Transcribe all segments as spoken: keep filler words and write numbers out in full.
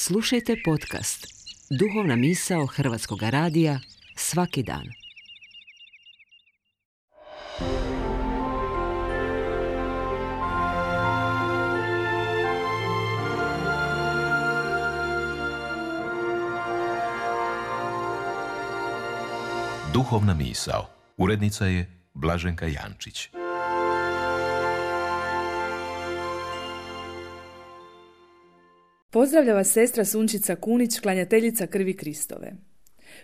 Slušajte podcast Duhovna misao Hrvatskog radija svaki dan. Duhovna misao. Urednica je Blaženka Jančić. Pozdravlja vas sestra Sunčica Kunić, klanjateljica krvi Kristove.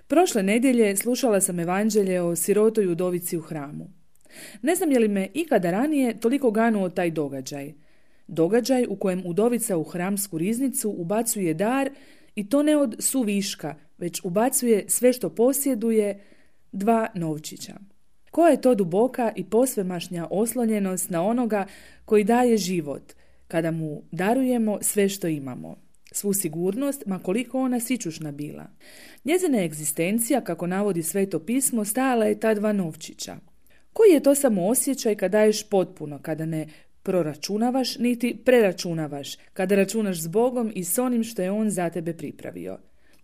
Prošle nedjelje slušala sam evanđelje o sirotoj udovici u hramu. Ne znam je li me ikada ranije toliko ganuo taj događaj. Događaj u kojem udovica u hramsku riznicu ubacuje dar i to ne od suviška, već ubacuje sve što posjeduje, dva novčića. Koja je to duboka i posvemašnja oslonjenost na onoga koji daje život, kada mu darujemo sve što imamo, svu sigurnost, ma koliko ona sićušna bila. Njezina egzistencija, kako navodi Sveto pismo, stajala je ta dva novčića. Koji je to samo osjećaj kad daješ potpuno, kada ne proračunavaš niti preračunavaš, kada računaš s Bogom i s onim što je On za tebe pripravio.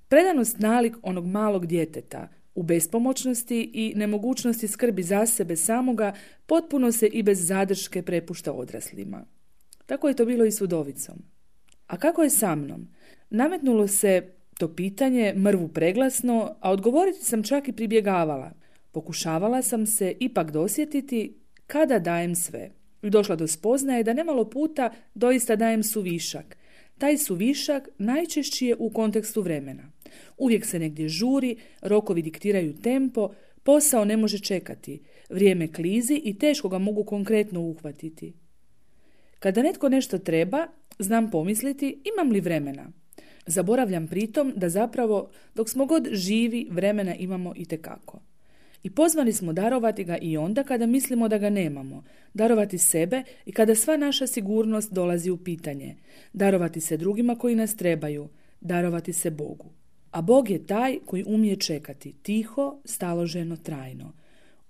Predanost nalik onog malog djeteta, u bespomoćnosti i nemogućnosti skrbi za sebe samoga, potpuno se i bez zadrške prepušta odraslima. Tako je to bilo i s udovicom. A kako je sa mnom? Nametnulo se to pitanje mrvu preglasno, a odgovoriti sam čak i pribjegavala. Pokušavala sam se ipak dosjetiti kada dajem sve. I došla do spoznaje da nemalo puta doista dajem suvišak. Taj suvišak najčešći je u kontekstu vremena. Uvijek se negdje žuri, rokovi diktiraju tempo, posao ne može čekati, vrijeme klizi i teško ga mogu konkretno uhvatiti. Kada netko nešto treba, znam pomisliti imam li vremena. Zaboravljam pritom da zapravo dok smo god živi vremena imamo itekako. I pozvani smo darovati ga i onda kada mislimo da ga nemamo, darovati sebe i kada sva naša sigurnost dolazi u pitanje, darovati se drugima koji nas trebaju, darovati se Bogu. A Bog je taj koji umije čekati, tiho, staloženo, trajno.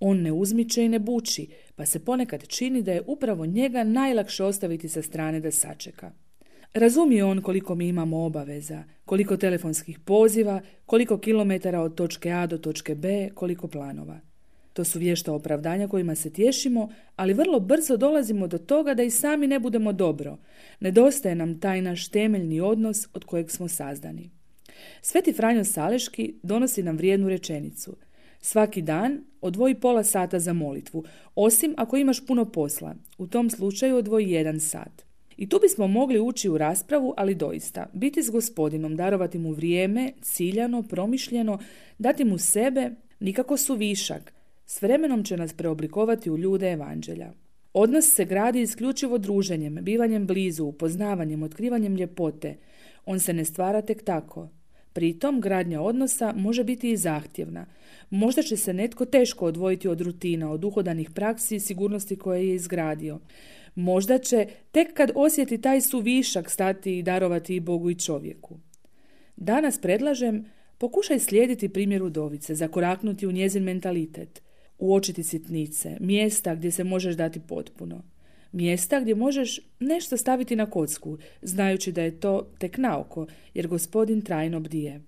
On ne uzmiče i ne buči, pa se ponekad čini da je upravo njega najlakše ostaviti sa strane da sačeka. Razumije on koliko mi imamo obaveza, koliko telefonskih poziva, koliko kilometara od točke A do točke B, koliko planova. To su vješta opravdanja kojima se tješimo, ali vrlo brzo dolazimo do toga da i sami ne budemo dobro. Nedostaje nam taj naš temeljni odnos od kojeg smo sazdani. Sveti Franjo Saleški donosi nam vrijednu rečenicu. Svaki dan odvoji pola sata za molitvu, osim ako imaš puno posla. U tom slučaju odvoji jedan sat. I tu bismo mogli ući u raspravu, ali doista, biti s Gospodinom, darovati mu vrijeme, ciljano, promišljeno, dati mu sebe, nikako suvišak, s vremenom će nas preoblikovati u ljude evanđelja. Odnos se gradi isključivo druženjem, bivanjem blizu, upoznavanjem, otkrivanjem ljepote. On se ne stvara tek tako. Pritom, gradnja odnosa može biti i zahtjevna. Možda će se netko teško odvojiti od rutina, od uhodanih praksi i sigurnosti koje je izgradio. Možda će, tek kad osjeti taj suvišak, stati i darovati i Bogu i čovjeku. Danas predlažem, pokušaj slijediti primjer udovice, zakoraknuti u njezin mentalitet, uočiti sitnice, mjesta gdje se možeš dati potpuno. Mjesta gdje možeš nešto staviti na kocku, znajući da je to tek naoko, jer Gospodin trajno bdije.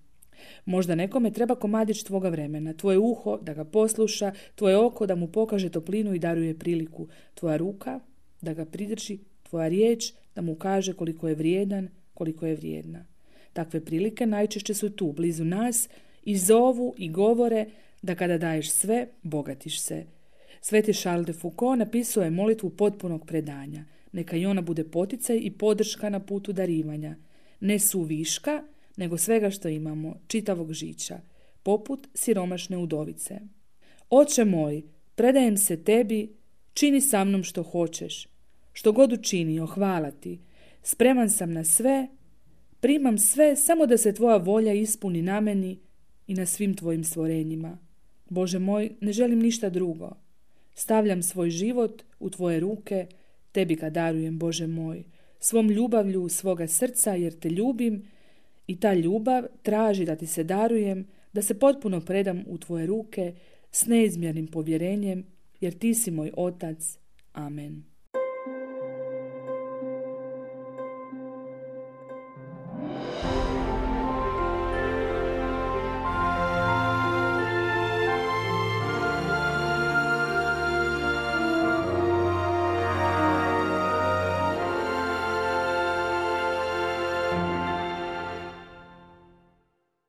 Možda nekome treba komadić tvoga vremena, tvoje uho da ga posluša, tvoje oko da mu pokaže toplinu i daruje priliku, tvoja ruka da ga pridrži, tvoja riječ da mu kaže koliko je vrijedan, koliko je vrijedna. Takve prilike najčešće su tu, blizu nas, i zovu i govore da kada daješ sve, bogatiš se. Sveti Charles de Foucault napisao je molitvu potpunog predanja. Neka i ona bude poticaj i podrška na putu darivanja. Ne suviška, nego svega što imamo, čitavog žića, poput siromašne udovice. Oče moj, predajem se tebi, čini sa mnom što hoćeš. Što god učinio, hvala ti. Spreman sam na sve, primam sve samo da se tvoja volja ispuni na meni i na svim tvojim stvorenjima. Bože moj, ne želim ništa drugo. Stavljam svoj život u tvoje ruke, tebi ga darujem, Bože moj, svom ljubavlju svoga srca jer te ljubim i ta ljubav traži da ti se darujem, da se potpuno predam u tvoje ruke s neizmjernim povjerenjem jer ti si moj otac. Amen.